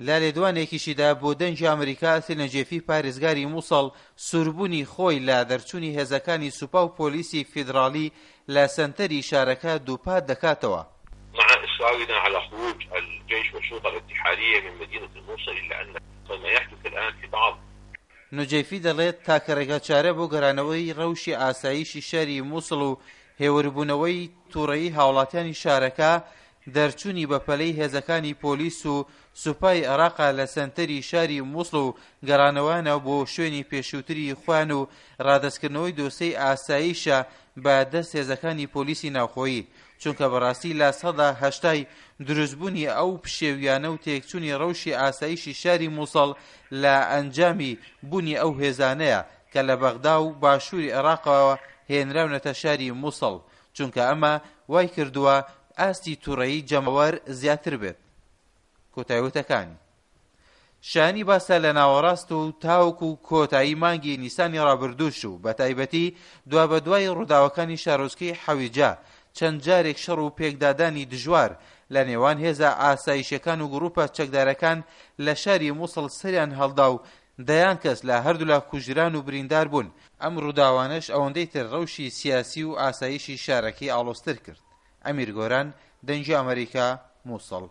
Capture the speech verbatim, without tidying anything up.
لە لێدوانێکیشیدا بۆ دەنگی ئەمریکا، ئەسیل نەجێفی پارێزگاری موسڵ سووربوونی خۆی لە دەرچوونی هێزەکانی سوپا و پۆلیسی فیدراڵی لە سەنتەری شارەکە دووپات دەکاتەوە. مع إصرارنا على خروج الجيش والشرطة الاتحادية من مدينة الموصل، إلا أن ما يحدث الآن في بعض نوجەیفی دەڵێت تاکە ڕێگاچارە بۆ گەرانەوەی ڕەوشی ئاسایشی شاری موسڵ و هێوربوونەوەی تووڕەیی هاوڵاتیانی شارەکە دەرچوونی بەپەلەی هێزەکانی پۆلیس و سوپای عێراقا لە سەنتەری شاری موسڵ و گەڕانەوەیانە بۆ شوێنی پێشووتری خۆیان و ڕادەستکردنەوەی دۆسەی ئاسایشە بە دەست هێزەکانی پۆلیسی ناوخۆیی، چونکە بەڕاستی لە سەدا هەشتای دروستبوونی ئەو پشێویانە و تێکچوونی ڕەوشی ئاسایشی شاری موسڵ لە ئەنجامی بوونی ئەو هێزانەیە کە لە بەغدا و باشووری عێراقەوە هێنراونەتە شاری موسڵ، چونکە ئەمە وای کردووە ئاستی تووڕەیی جەماوەر زیاتر بێت. کۆتایوتەکانی شانی باسە لە ناوەڕاست و تاوەکو و کۆتایی مانگی نیسانی ڕابردووش و بە تایبەتی دوابەدوای ڕووداوەکانی شارۆچکەی حەویجە چەند جارێک شەڕ و پێکدادانی دژوار لە نێوان هێزە ئاسایشەکان و گروپە چەکدارەکان لە شاری موسڵ سەریان هەڵدا و دەیان کەس لە هەردوولا کوژران و بریندار بوون. ئەم ڕووداوانەش ئەوەندەی تر ڕەوشی سیاسی و ئاسایشی شارەکەی ئاڵۆزتر کرد. ئەمیر گۆران، دەنگی ئەمریکا، موسڵ.